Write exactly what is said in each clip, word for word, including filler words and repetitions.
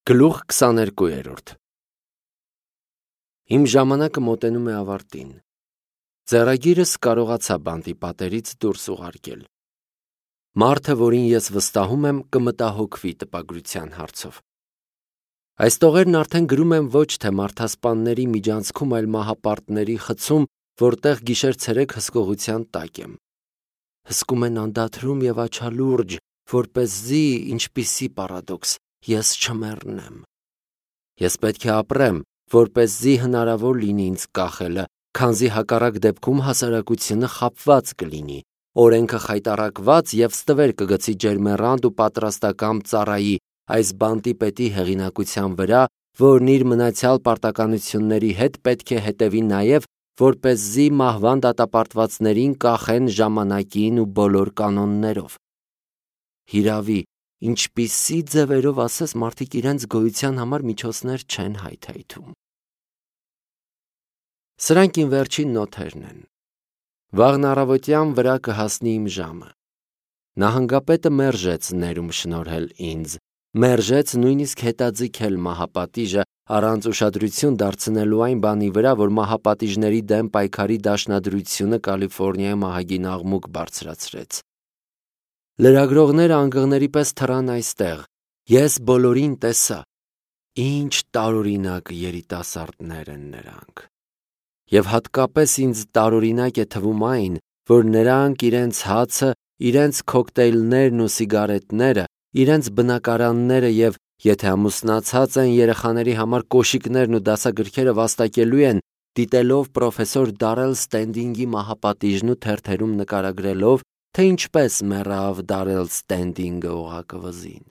Գլուխ քսաներկու։ Իմ ժամանակը մոտենում է ավարտին։ Ձեռագիրս կարողացա բանտի պատերից դուրս ուղարկել։ Մարդը, որին ես վստահում եմ, կմտահոգվի տպագրության հարցով։ Այս տողերն արդեն գրում եմ ոչ թե մարդասպանների միջանցքում, այլ մահապարտների խցում, որտեղ գիշեր-ցերեկ հսկողության տակ եմ։ Հսկում են անդադրում և աչալուրջ, որպեսզի, ինչպիսի պարադոքս, ես չմեռնեմ։ Ես պետք է ապրեմ, որպեսզի հնարավոր լինի ինձ կախելը, քանզի հակառակ դեպքում հասարակությունը խաբված կլինի, օրենքը խայտառակված և ստվեր կգցի ջերմեռանդ ու պատրաստակամ ծառայի այս բանտի պետի հեղինակության վրա, որն իր մնացյալ պարտականությունների հետ պետք է հետևի նաև, որպեսզի մահվան դատապարտվածներին կախեն ժամանակին ու բոլոր կանոններով։ Հիրավի, ինչպիսի ձևերով ասես մարդիկ իրենց գոյության համար միջոցներ չեն հայթայթում։ Սրանք իմ վերջին նոթերն են։ Վաղն առավոտյան վրա կհասնի իմ ժամը։ Նահանգապետը մերժեց ներում շնորհել ինձ, մերժեց նույնիսկ հետաձգել մահապատիժը, առանց ուշադրություն դարձնելու այն բանի վրա, որ մահապատիժների դեմ պայքարի դաշնադրությունը Կալիֆոռնիայում ահագին աղմուկ բարձրացրեց։ Լրագրողները անգղների պես թռան այստեղ։ Ես բոլորին տեսա։ Ինչ տարօրինակ երիտասարդներ են նրանք։ Եվ հատկապես ինձ տարօրինակ է թվում այն, որ նրանք իրենց հացը, իրենց քոկտեյլներն ու սիգարետները, իրենց բնակարանները և, եթե ամուսնացած են, երեխաների համար կոշիկներն ու դասագրքերը վաստակելու են, դիտելով պրոֆեսոր Դարել Ստենդինգի մահապատիժն ու թերթերում նկարագրելով, թե ինչպես մեռավ Դարել Ստենդինգը օղակը վզին։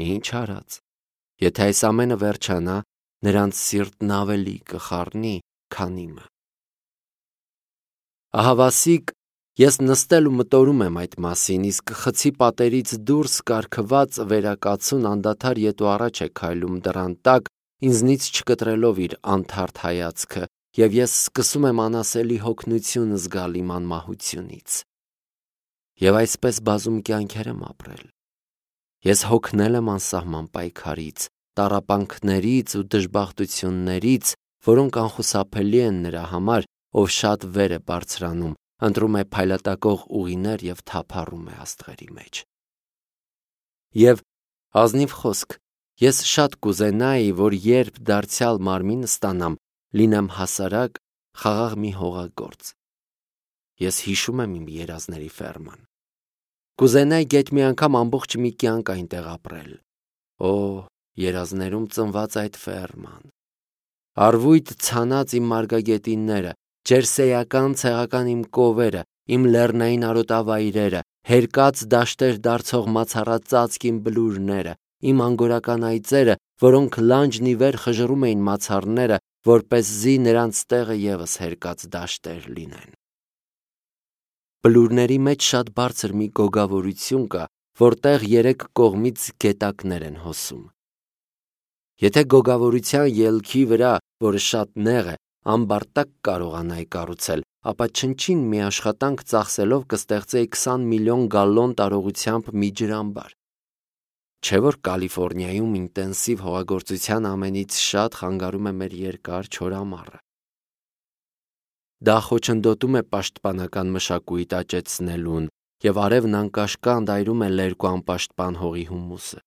Ինչ արած, եթե այս ամենը վերջանա, նրանց սիրտն ավելի կխառնի, քան իմը։ Ահավասիկ, ես նստել ու մտորում եմ այդ մասին, իսկ խցի պատերից դուրս կարգված վերակացուն անդադար ետ ու առաջ է քայլում դռան տակ, ինձնից չկտրելով իր անթարթ հայացքը, և ես սկսում եմ անասելի հոգնություն զգալ իմ անմահությունից։ Եվ այսպես բազում կյանքեր եմ ապրել։ Ես հոգնել եմ անսահման պայքարից, տառապանքներից ու դժբախտություններից, որոնք անխուսափելի են նրա համար, ով շատ վեր է բարձրանում, ընտրում է փայլատակող ուղիներ և թափառում է աստղերի մեջ։ Եվ, ազնիվ խոսք, ես շատ կուզենայի, որ երբ դարձյալ մարմին ստանամ, լինեմ հասարակ, խաղաղ մի հողագործ։ Ես հիշում եմ իմ երազների ֆերման։ Կուզենայի գեթ մի անգամ ամբողջ մի կյանք այնտեղ ապրել։ Օ, երազներում ծնված այդ ֆերման։ Արվույթ ցանած իմ մարգագետինները, ջերսեական ցեղական իմ կովերը, իմ լեռնային արոտավայրերը, հերկած դաշտեր դարձող մացառածածկ իմ բլուրները, իմ անգորական այծերը, որոնք լանջն ի վեր խժռում էին մացառները, որպեսզի նրանց տեղը ևս հերկած դաշտեր լինեն։ Բլուրների մեջ շատ բարձր մի գոգավորություն կա, որտեղ երեք կողմից գետակներ են հոսում։ Եթե գոգավորության ելքի վրա, որը շատ նեղ է, ամբարտակ կարողանայի կառուցել, ապա չնչին մի աշխատանք ծախսելով կստեղծեի քսան միլիոն գալլոն տարողությամբ մի ջրամբար։ Չէ՞ որ Կալիֆոռնիայում ինտենսիվ հողագործության ամենից շատ խանգարում է մեր երկար չոր ամառը։ Դա խոչընդոտում է պաշտպանական մշակույթ աճեցնելուն, և արևն անկաշկանդ այրում է լերկ ու անպաշտպան հողի հումուսը։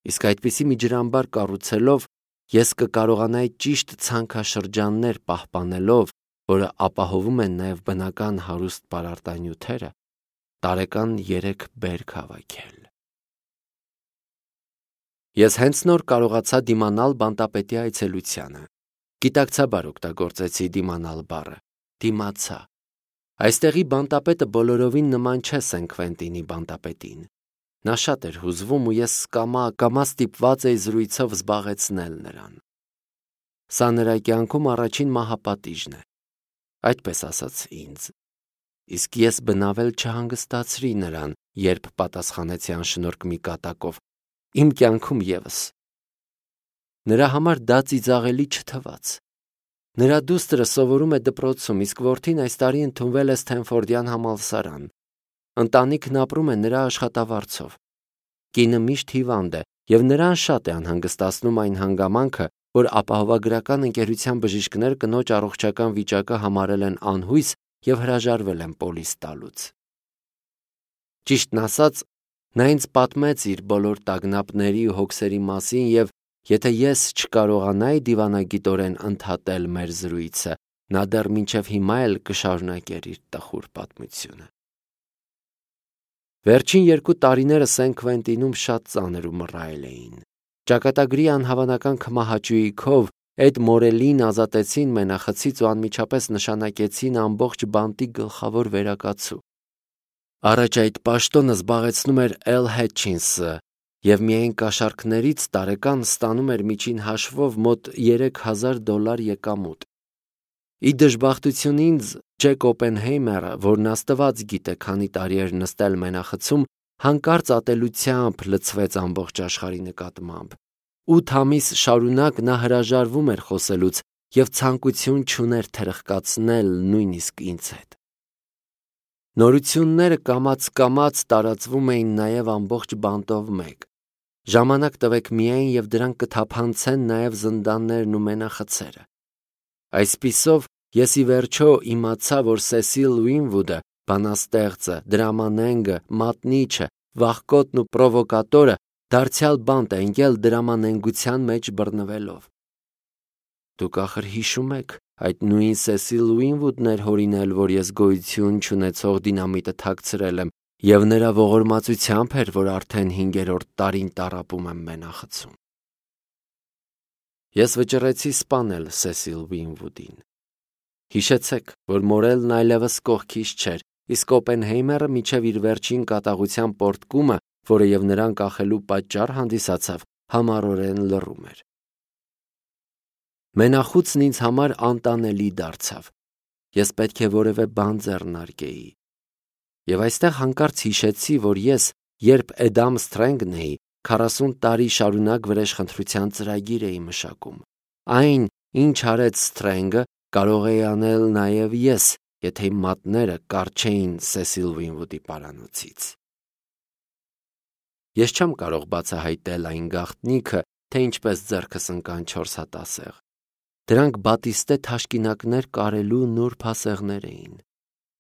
Իսկ այդպիսի մի ջրամբար կառուցելով, ես կկարողանայի ճիշտ ցանքաշրջաններ պահպանելով, որը ապահովում են նաև բնական հարուստ պարարտանյութերը, տարեկան երեք բերք հավաքել։ Ես հենց նոր կարողացա դիմանալ բանտապետի այցելությանը։ Գիտակցաբար օգտագործեցի դիմանալ բառը։ Դիմացա։ Այստեղի բանտապետը բոլորովին նման չէ Սեն Քվենտինի բանտապետին։ Նա շատ էր հուզվում ու ես կամա-կամա ստիպված էի զրույցով զբաղեցնել նրան։ Սա նրա կյանքում առաջին մահապատիժն է, այդպես ասաց ինձ։ Իսկ ես բնավել չհանգստացրի նրան, երբ պատասխանեցի անշնորհք մի կատակով. Իմ կյանքում ևս։ Նրա համար դա ծիծաղելի չթվաց։ Նրա դուստրը սովորում է դպրոցում, իսկ որդին այս տարի ընդունվել է Սթենֆորդյան համալսարան։ Ընտանիքն ապրում է նրա աշխատավարձով։ Կինը միշտ հիվանդ է, եւ նրան շատ է անհանգստացնում այն հանգամանքը, որ ապահովագրական ընկերության բժիշկներ կնոջ առողջական վիճակը համարել են անհույս եւ հրաժարվել են պոլիս տալուց։ Ճիշտն ասած, նա ինձ պատմեց իր բոլոր տագնապների ու հոգսերի մասին եւ եթե ես չկարողանայի դիվանագիտորեն ընդհատել մեր զրույցը, նա դեռ մինչև հիմա էլ կշարունակեր իր տխուր պատմությունը։ Վերջին երկու տարիները Սեն Քվենտինում շատ ծանր ու մռայլ էին։ Ճակատագրի անհավանական քմահաճույքով Էդ Մորելին ազատեցին մենախցից ու անմիջապես նշանակեցին ամբողջ բանտի գլխավոր վերակացու։ Առաջ այդ պաշտոնը զբաղեցնում էր Էլ Հեթչինսը եւ միայն կաշառքներից տարեկան ստանում էր միջին հաշվով մոտ երեք հազար դոլար եկամուտ։ Ի դժբախտություն ինձ Ջեք Օպենհեյմերը, որն աստված գիտե քանի տարի էր նստել մենախցում, հանկարծ ատելությամբ լցվեց ամբողջ աշխարհի նկատմամբ։ Ութ ամիս շարունակ նա հրաժարվում էր խոսելուց եւ ցանկություն չուներ թրխկացնել նույնիսկ ինձ հետ։ Նորությունները կամաց-կամաց տարածվում էին նաեւ ամբողջ բանտով մեկ։ Ժամանակ տվեք միայն եւ դրանք կթափանցեն նաեւ զնդաններն ու մենախցերը։ Այսպիսով ես ի վերջո իմացա, որ Սեսիլ Ուինվուդը, բանաստեղծը, դրամանենգը, մատնիչը, վախկոտն ու պրովոկատորը դարձյալ բանտ է ընկել դրամանենգության մեջ բռնվելով։ Դուք ախր հիշում եք, այդ նույն Սեսիլ Ուինվուդն էր հորինել, որ ես գոյություն չունեցող դինամիտը թաքցրել եմ, եւ նրա ողորմածությամբ էր, որ արդեն հինգերորդ տարին տառապում եմ մենախցում։ Ես վճռեցի սպանել Սեսիլ Ուինվուդին։ Հիշեցեք, որ Մորելն այլևս կողքից չէր, իսկ Օպենհեյմերը միջև իր վերջին կատաղության պոռթկումը, որը եւ նրան կախելու պատճառ հանդիսացավ, համառորեն լռում էր։ Մենախուցն ինձ համար անտանելի դարձավ։ Ես պետք է որևէ բան ձեռնարկեի։ Եվ այստեղ հանկարծ հիշեցի, որ ես, երբ Էդամ Սթրենգն էի, քառասուն տարի շարունակ վրեժխնդրության ծրագիր էի մշակում։ Այն, ինչ արեց Սթրենգը, կարող էի անել նաև ես, եթե իմ մատները կարճեին Սեսիլ Ուինվուդի պարանոցից։ Ես չեմ կարող բացահայտել այն գաղտնիքը, թե ինչպես ձեռքս ընկան չորս հատ ասեղ։ Դրանք բատիստե թաշկինակներ կարելու նուրբ ասեղներ էին։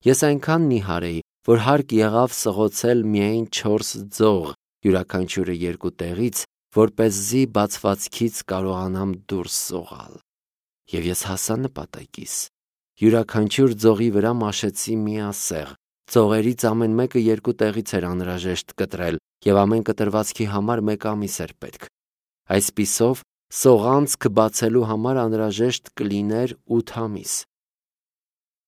Ես այնքան նիհար էի, որ հարկ եղավ սղոցել միայն չորս ձող, յուրաքանչյուրը երկու տեղից, որպեսզի բացվածքից կարողանամ դուրս սողալ։ Եվ ես հասա նպատակիս։ Յուրաքանչյուր ձողի վրա մաշեցի մի ասեղ։ Ձողերից ամեն մեկը երկու տեղից էր անհրաժեշտ կտրել, եւ ամեն կտրվածքի համար մեկ ամիս էր պետք։ Այսպիսով, սողանցք բացելու համար անհրաժեշտ կլիներ ութ ամիս։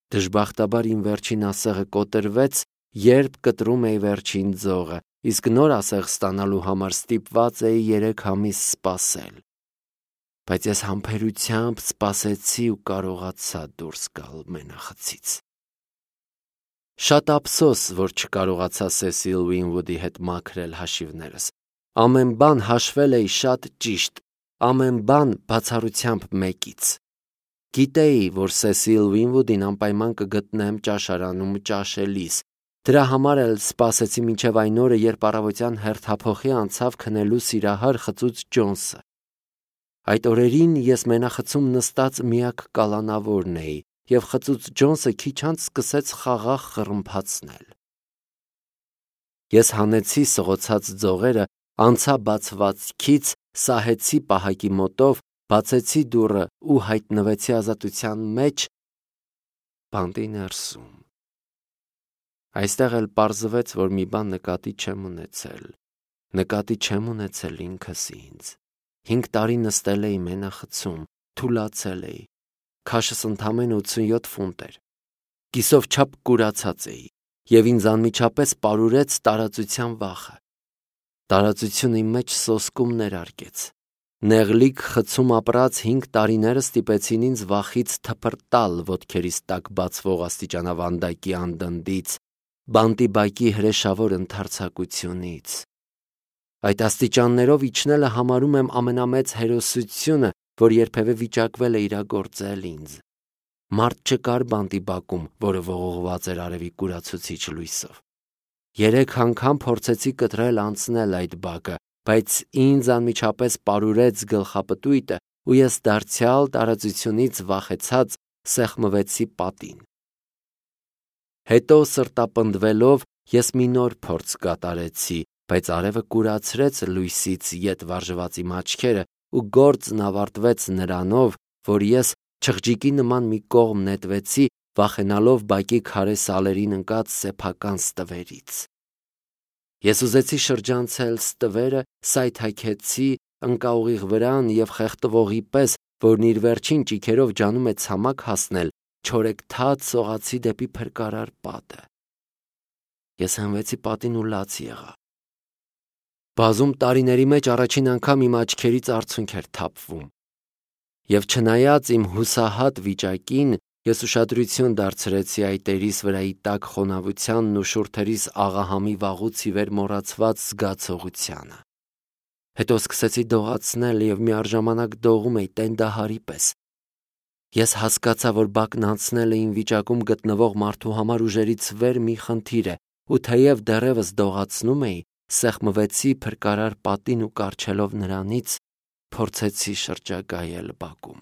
Դժբախտաբար իմ վերջին ասեղը կոտրվեց, երբ կտրում էի վերջին ձողը, իսկ նոր ասեղ ստանալու համար ստիպված էի երեք ամիս սպասել։ Բայց ես համբերությամբ սպասեցի ու կարողացա դուրս գալ մենախցից։ Շատ ափսոս, որ չկարողացա Սեսիլ Ուինվուդի հետ մաքրել հաշիվներս։ Ամեն բան հաշվել էի շատ ճիշտ, ամեն բան բացառությամբ մեկից։ Գիտեի, որ Սեսիլ Ուինվուդին անպայման կգտնեմ ճաշարանում ճաշելիս։ Դրա համար էլ սպասեցի մինչև այն օրը, երբ առավոտյան հերթափոխի անցավ քնելու սիրահար խծուծ Ջոնսը։ Այդ օրերին ես մենախցում նստած միակ կալանավորն էի, եւ խծուծ Ջոնսը քիչ անց սկսեց խաղաղ խռմփացնել։ Ես հանեցի սղոցած ձողերը, անցա բացվածքից, սահեցի պահակի մոտով, բացեցի դուռը ու հայտնվեցի ազատության մեջ բանտի ներսում։ Այստեղ էլ պարզվեց, որ մի բան նկատի չեմ ունեցել։ Նկատի չեմ ունեցել ինքս ինձ։ Հինգ տարի նստել էի մենախցում, թուլացել էի։ Քաշս ընդամենը ութսունյոթ ֆունտ էր։ Կիսով չափ կուրացած էի, եւ ինձ անմիջապես պարուրեց տարածության վախը։ Տարածությունը իմ մեջ սոսկում ներարկեց։ Նեղլիկ խցում ապրած հինգ տարիները ստիպեցին ինձ վախից թփրտալ ոտքերիս տակ բացվող աստիճանավանդակի անդնդից, բանտի բակի հրեշավոր ընդարձակությունից։ Այդ աստիճաններով իջնելը համարում եմ ամենամեծ հերոսությունը, որ երբևէ վիճակվել է իրագործել ինձ։ Մարդ չկար բանտի բակում, որը ողողված էր արևի կուրացուցիչ լույսով։ Երեք անգամ փորձեցի կտրել անցնել այդ բակը, բայց ինձ անմիջապես պարուրեց գլխապտույտը, ու ես դարձյալ տարածությունից վախեցած սեղմվեցի պատին։ Հետո սրտապնդվելով ես մի նոր փորձ կատարեցի, բայց արևը կուրացրեց լույսից ետ վարժված իմ աչքերը, ու գործն ավարտվեց նրանով, որ ես չղջիկի նման մի կողմ նետվեցի, վախենալով բակի քարե սալերին ընկած սեփական ստվերից։ Ես ուզեցի շրջանցել ստվերը, սայթաքեցի, ընկա ուղիղ վրան և խեղդվողի պես, որն իր վերջին ճիգերով ջանում է ցամաք հասնել, չորեքթաթ սողացի դեպի փրկարար պատը։ Ես հենվեցի պատին ու լաց եղա։ Բազում տարիների մեջ առաջին անգամ իմ աչքերից արցունք էր թափվում։ Եվ չնայած իմ հուսահատ վիճակին, ես ուշադրություն դարձրեցի այտերիս վրայի տաք խոնավությանն ու շուրթերիս աղահամի վաղուց ի վեր մոռացված զգացողությանը։ Հետո սկսեցի դողացնել և միառժամանակ դողում էի տենդահարի պես։ Ես հասկացա, որ բակն անցնելը իմ վիճակում գտնվող մարդու համար ուժերից վեր մի խնդիր է, ու թեև դեռևս դողացնում էի, սեղմվեցի փրկարար պատին ու կառչելով նրանից, փորձեցի շրջագայել բակում։